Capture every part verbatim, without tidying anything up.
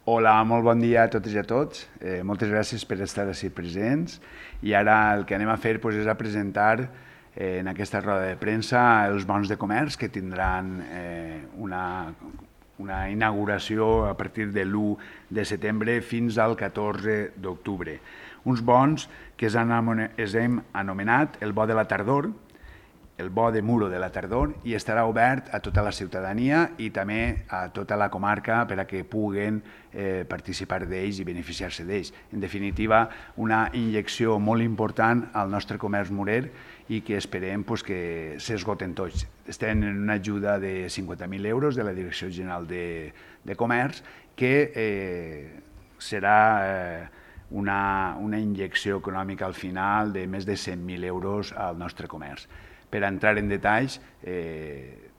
Hola, molt bon dia a totes i a tots. Eh, moltes gràcies per estar així presents. I ara el que anem a fer doncs, és a presentar eh, en aquesta roda de premsa els bons de comerç que tindran eh, una, una inauguració a partir de l'u de setembre fins al catorze d'octubre. Uns bons que es hem anomenat el bo de la tardor, el bo de Muro de la tardor, i estarà obert a tota la ciutadania i també a tota la comarca per a que puguen eh, participar d'ells i beneficiar-se d'ells. En definitiva, una injecció molt important al nostre comerç murer i que esperem pues, que s'esgoten tots. Estem en una ajuda de cinquanta mil euros de la Direcció General de, de Comerç que eh, serà eh, una, una injecció econòmica al final de més de cent mil euros al nostre comerç. Per entrar en detalls, eh,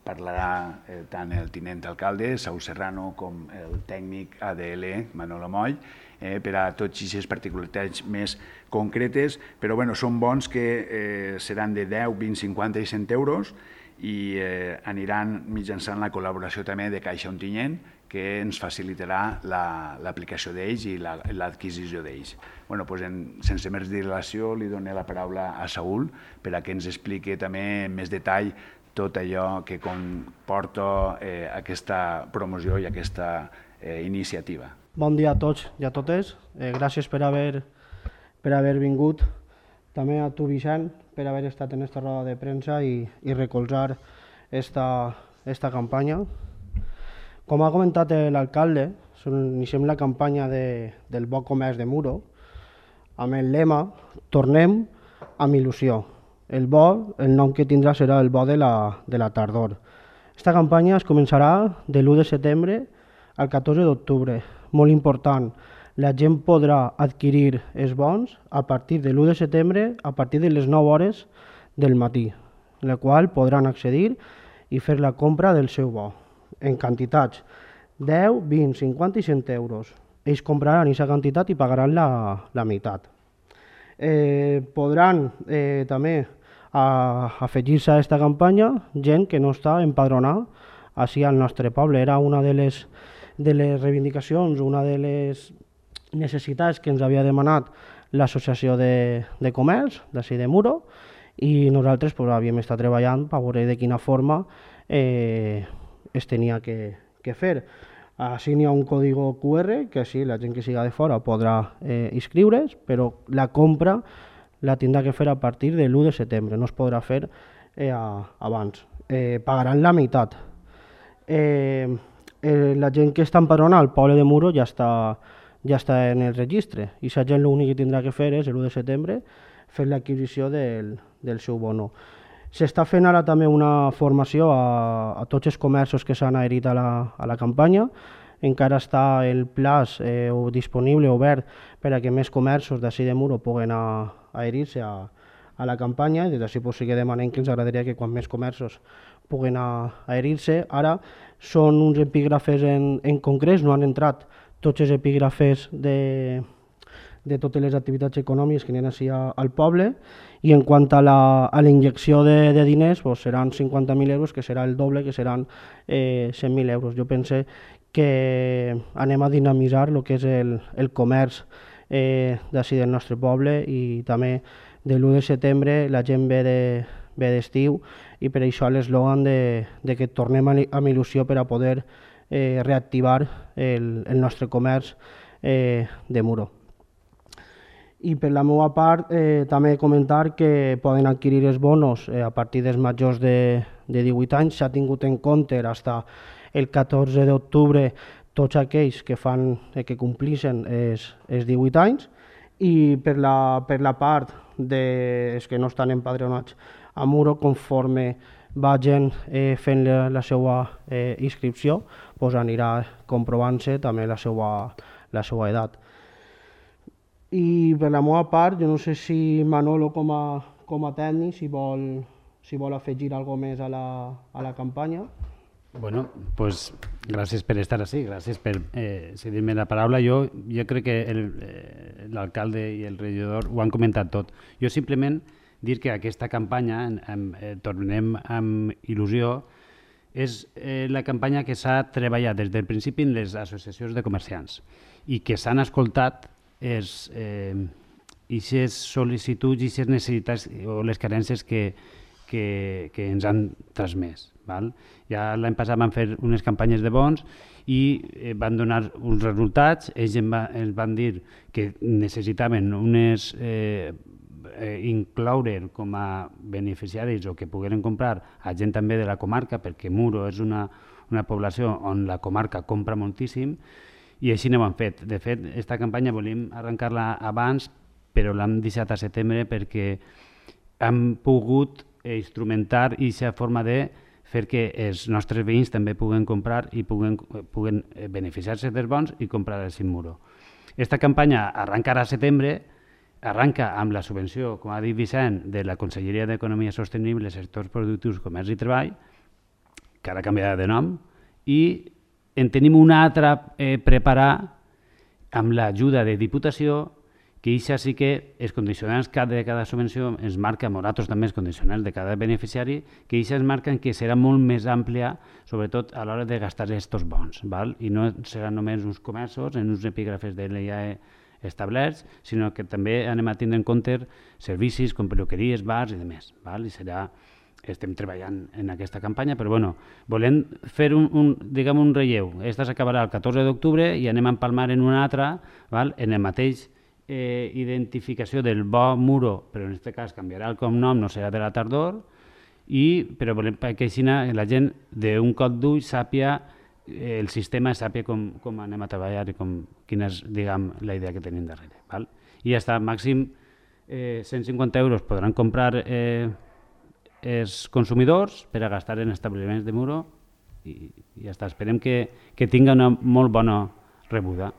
parlarà eh, tant el tinent alcalde, Saúl Serrano, com el tècnic A D L, Manolo Moll, eh, per a tots aquestes particularitats més concretes, però bueno, són bons que eh, seran de deu, vint, cinquanta i cent euros i eh, aniran mitjançant la col·laboració també de Caixa Ontinyent, que ens facilitarà l'aplicació la, d'ells i l'adquisició la, d'ells. Bueno, doncs en, sense més dilació, li dono la paraula a Saúl per a que ens expliqui també en més detall tot allò que comporta eh, aquesta promoció i aquesta eh, iniciativa. Bon dia a tots i a totes. Eh, gràcies per haver, per haver vingut. També a tu, Vicent, per haver estat en aquesta roda de premsa i, i recolzar esta, esta campanya. Com ha comentat l'alcalde, iniciem la campanya de, del bo comerç de Muro amb el lema Tornem amb il·lusió. El bo, el nom que tindrà serà el bo de la, de la tardor. Esta campanya es començarà de l'u de setembre al catorze d'octubre. Molt important, la gent podrà adquirir els bons a partir de l'u de setembre a partir de les nou hores del matí, en la qual podran accedir i fer la compra del seu bo, en quantitats deu, vint, cinquanta i cent euros. Ells compraran aquesta quantitat i pagaran la, la meitat. Eh, podran eh, també afegir-se a aquesta campanya gent que no està empadronada així al nostre poble. Era una de les, de les reivindicacions, una de les necessitats que ens havia demanat l'Associació de, de Comerç d'ací de Muro i nosaltres pues, havíem estat treballant per veure de quina forma eh, es tenia que, que fer. Així n'hi ha un còdig Q R que sí, la gent que siga de fora podrà eh, inscriure's, però la compra la tindrà que fer a partir de l'u de setembre, no es podrà fer eh, abans. Eh, pagaran la meitat. Eh, eh, la gent que està empadronada al poble de Muro ja està, ja està en el registre i la gent l'únic que tindrà que fer és l'u de setembre fer l'adquisició del, del seu bono. S'està fent ara també una formació a, a tots els comerços que s'han adherit a la, a la campanya. Encara està el plaç eh, disponible, obert, per a que més comerços d'ací de Muro puguen adherir-se a, a la campanya. Des d'ací pues, sí que demanem que ens agradaria que quan més comerços puguen adherir-se. Ara són uns epígrafes en, en concrets, no han entrat tots els epígrafes de... de totes les activitats econòmiques que n'hi ha així al poble, i en quant a la, a la injecció de, de diners pues seran cinquanta mil euros, que serà el doble, que seran eh, cent mil euros. Jo pense que anem a dinamitzar el que és el, el comerç eh, d'ací del nostre poble i també de l'u de setembre la gent ve de, ve d'estiu i per això l'eslògan de, de que tornem amb il·lusió per a poder eh, reactivar el, el nostre comerç eh, de Muro. I per la meva part eh, també comentar que poden adquirir els bonos eh, a partir dels majors de, de divuit anys. S'ha tingut en compte fins el catorze d'octubre tots aquells que, fan, eh, que complixen els, els divuit anys i per la, per la part dels que no estan empadronats a Muro, conforme vagin eh, fent la, la seva eh, inscripció, pues anirà comprovant-se també la seva, la seva edat. I per la meva part, jo no sé si Manolo com a, com a tècnic si vol, si vol afegir alguna més a la, a la campanya. Bueno, pues gràcies per estar així, gràcies per eh, cedir-me la paraula. Jo, jo crec que l'alcalde i el regidor ho han comentat tot. Jo simplement dir que aquesta campanya en, en, eh, tornem amb il·lusió és eh, la campanya que s'ha treballat des del principi en les associacions de comerciants i que s'han escoltat és aquestes eh, sol·licituds i aquestes necessitats o les carències que, que, que ens han transmès. Val? Ja l'any passat van fer unes campanyes de bons i eh, van donar uns resultats. Ells ens, va, ens van dir que necessitaven unes... Eh, Eh, incloure com a beneficiaris o que pogueren comprar a gent també de la comarca, perquè Muro és una, una població on la comarca compra moltíssim i així no ho han fet. De fet, aquesta campanya volíem arrencar-la abans, però l'hem deixat a setembre perquè hem pogut instrumentar aquesta forma de fer que els nostres veïns també puguen comprar i puguen, puguen beneficiar-se dels bons i comprar el Muro. Aquesta campanya arrencarà a setembre, arranca amb la subvenció, com ha dit Vicent, de la Conselleria d'Economia Sostenible, Sectors Productius, Comerç i Treball, que ara canviarà de nom, i en tenim una altra eh, preparar amb l'ajuda de Diputació, que això sí que els condicionants de cada subvenció ens marca, nosaltres també els condicionants de cada beneficiari, que això ens marquen que serà molt més àmplia, sobretot a l'hora de gastar aquests bons, val? I no seran només uns comerços, en uns epígrafes de l'I A E establerts, sinó que també anem a tindre en compte servicis com peluqueries, bars i demés. Val? I serà, estem treballant en aquesta campanya, però bueno, volem fer un, un, diguem, un relleu. Aquesta s'acabarà el catorze d'octubre i anem a empalmar en una altra, val? En el mateix eh, identificació del bo Muro, però en aquest cas canviarà el cognom, no serà de la tardor, i, però volem que així la gent d'un cop d'ull sàpia el sistema sàpia com, com anem a treballar i com, quina és, diguem, la idea que tenim darrere. Val? I ja està, màxim eh, cent cinquanta euros podran comprar eh, els consumidors per a gastar en establiments de Muro i, i ja està. Esperem que, que tinga una molt bona rebuda.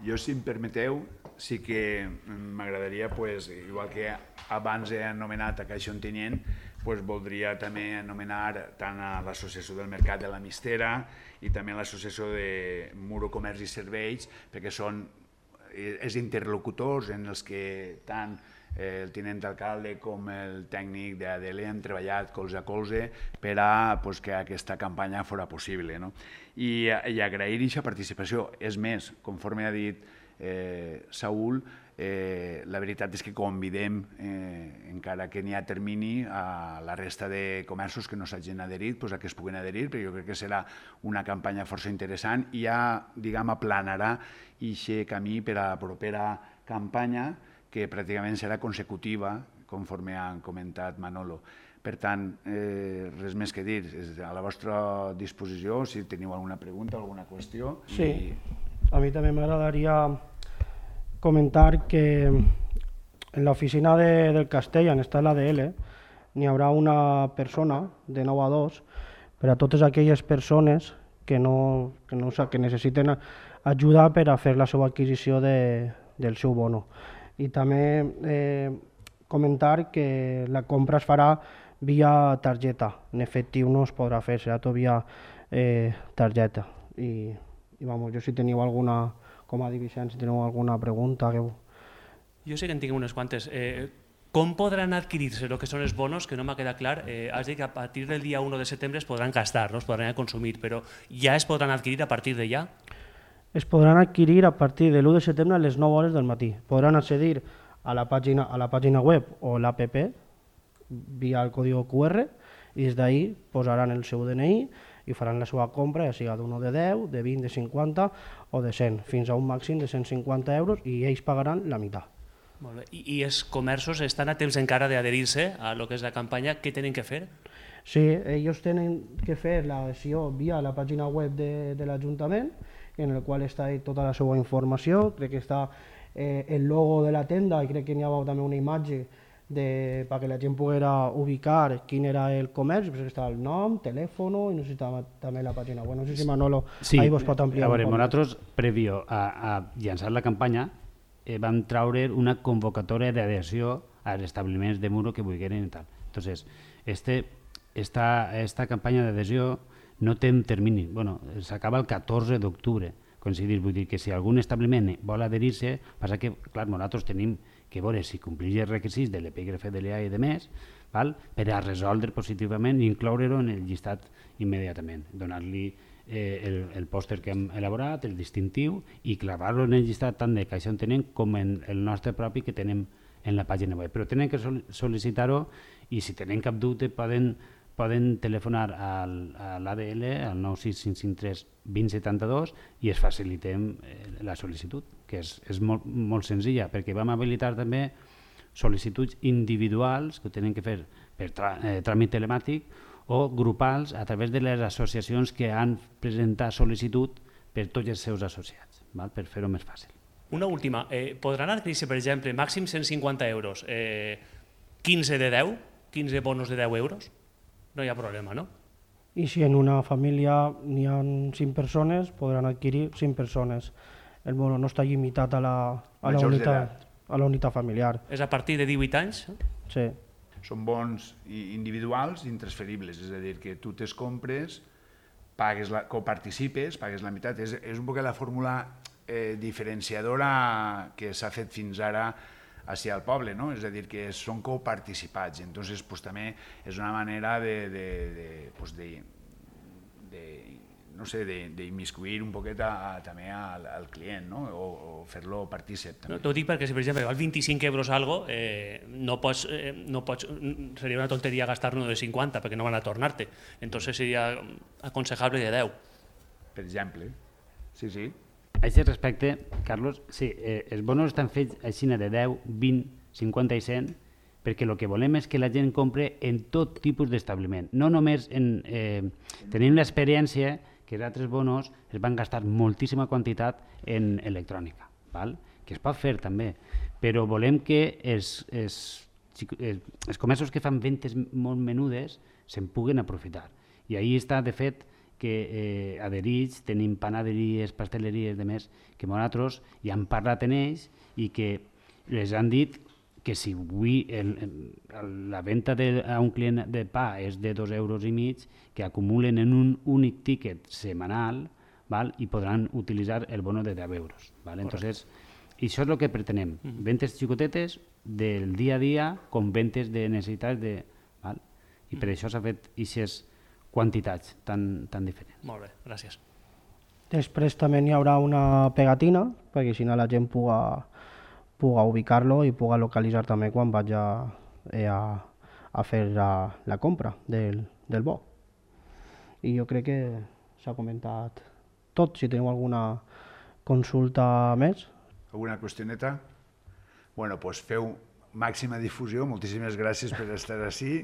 Jo, si em permeteu, sí que m'agradaria, pues, igual que abans he anomenat a Caixa Ontinyent, pues, voldria també anomenar tant a l'Associació del Mercat de la Mistera i també a l'Associació de Muro Comerç i Serveis, perquè són els interlocutors en els que tant el tinent d'alcalde com el tècnic d'A D L han treballat colze a colze per a pues, que aquesta campanya fora possible. No? I, i agrair aquesta participació. És més, conforme ha dit eh, Saúl, Eh, la veritat és que convidem, eh, encara que n'hi ha termini, a la resta de comerços que no s'hagin adherit, pues, a que es puguin adherir, però jo crec que serà una campanya força interessant i ja, diguem, aplanarà aquest camí per a la propera campanya, que pràcticament serà consecutiva, conforme han comentat Manolo. Per tant, eh, res més que dir, és a la vostra disposició, si teniu alguna pregunta, alguna qüestió. Sí, i... a mi també m'agradaria comentar que en l'oficina de, del Castell, on està l'A D L, n'hi haurà una persona de nou a dos per a totes aquelles persones que, no, que, no, que necessiten ajuda per a fer la seva adquisició de, del seu bono. I també eh, comentar que la compra es farà via targeta, en efectiu no es podrà fer, serà tot via eh, targeta. I, i vamos, jo si teniu alguna, com a Vicent, si teniu alguna pregunta que... Jo sé que en tinc unes quantes. Eh, com podran adquirir-se el que són els bonos? Que no m'ha quedat clar. Eh, has dit que a partir del dia u de setembre es podran gastar, no es podran consumir, però ja es podran adquirir a partir de ja? Es podran adquirir a partir de l'u de setembre a les nou hores del matí. Podran accedir a la pàgina, a la pàgina web o l'app via el código Q R i des d'ahí posaran el seu D N I i faran la seva compra, ja sigui d'un de deu, de vint, de cinquanta o de cent, fins a un màxim de cent cinquanta euros i ells pagaran la meitat. Molt bé. I, I els comerços estan a temps encara d'adherir-se a lo que és la campanya. Què tenen que fer? Sí, ells tenen que fer l'adhesió via la pàgina web de, de l'Ajuntament, en el qual està tota la seva informació. Crec que està eh, el logo de la tenda i crec que n'hi ha també una imatge de, perquè la gent poguera ubicar quin era el comerç, però estava el nom, telèfon i no sé si estava també la pàgina web. No sé si Manolo sí, ahí vos pot ampliar. A veure, nosaltres, previo a, a llançar la campanya, eh, vam traure una convocatòria d'adhesió als establiments de Muro que vulgueren i tal. Entonces, este, esta, esta campanya d'adhesió no té un termini, bueno, s'acaba el catorze d'octubre, coincidir, vull dir que si algun establiment vol adherir-se, passa que, clar, nosaltres tenim que veure si compleix els requisits de l'epígrafe de l'E A i de més, val? Per a resoldre positivament i incloure-ho en el llistat immediatament, donar-li eh, el, el pòster que hem elaborat, el distintiu, i clavar-lo en el llistat tant de Caixa Ontenent com en el nostre propi que tenem en la pàgina web. Però tenen que sol sol·licitar-ho i si tenen cap dubte poden, poden telefonar al, a l'A D L al nou sis cinc cinc tres dos zero set dos i es facilitem eh, la sol·licitud, que és, és molt, molt senzilla, perquè vam habilitar també sol·licituds individuals que ho tenen que fer per trà, eh, tràmit telemàtic o grupals a través de les associacions que han presentat sol·licitud per tots els seus associats, val? Per fer-ho més fàcil. Una última. Eh, podran adquirir-se, per exemple, màxim cent cinquanta euros, eh, quinze de deu, quinze bonos de deu euros? No hi ha problema, no? I si en una família n'hi ha cinc persones, podran adquirir cinc persones. El bono no està limitat a la, a la, unitat, a la unitat familiar. És a partir de divuit anys? Sí. Són bons individuals intransferibles, és a dir, que tu te'ls compres, pagues la, coparticipes, pagues la meitat. És, és un poc la fórmula eh, diferenciadora que s'ha fet fins ara hacia el poble, no? És a dir, que són coparticipats. Entonces, pues, també és una manera de, de, de, pues, de, de no sé, d'immiscuir un poquet a, a, també al, al client, no? O, o fer-lo partícip. No, t'ho dic perquè si per exemple val vint-i-cinc euros algo, eh, no pots, eh, no pots, seria una tonteria gastar-ne de cinquanta perquè no van a tornar-te. Entonces seria aconsejable de deu. Per exemple. Sí, sí. A aquest respecte, Carlos, sí, eh, els bonos estan fets així de deu, vint, cinquanta i cent, perquè el que volem és que la gent compre en tot tipus d'establiment. No només en... Eh, tenim l'experiència que els altres bonos es van gastar moltíssima quantitat en electrònica, val? Que es pot fer també, però volem que els, els, els comerços que fan ventes molt menudes se'n puguen aprofitar. I ahí està, de fet, que eh, adherits, tenim panaderies, pasteleries, de més, que nosaltres ja han parlat en ells i que les han dit que si avui el, el, la venda de, a un client de pa és de dos euros i mig, que acumulen en un únic tiquet setmanal, val? I podran utilitzar el bono de deu euros. Val? Entonces, això és el que pretenem, mm-hmm. Ventes xicotetes del dia a dia com ventes de necessitats de... Val? I per mm-hmm. això s'ha fet aquestes quantitats tan, tan diferents. Molt bé, gràcies. Després també hi haurà una pegatina, perquè si no la gent puga, puga ubicar-lo i puga localitzar també quan vaig a, a, a fer la, la compra del, del bo. I jo crec que s'ha comentat tot. Si teniu alguna consulta més. Alguna qüestioneta? Bueno, doncs feu màxima difusió. Moltíssimes gràcies per estar ací.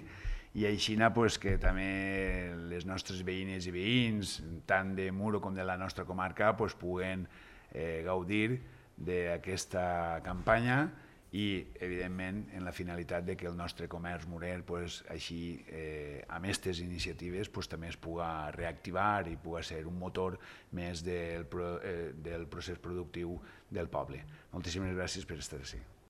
I així pues, que també les nostres veïnes i veïns, tant de Muro com de la nostra comarca, pues, puguen eh, gaudir d'aquesta campanya i, evidentment, en la finalitat de que el nostre comerç murer, pues, així, eh, amb aquestes iniciatives, pues, també es puga reactivar i puga ser un motor més del, pro, eh, del procés productiu del poble. Moltíssimes gràcies per estar ací.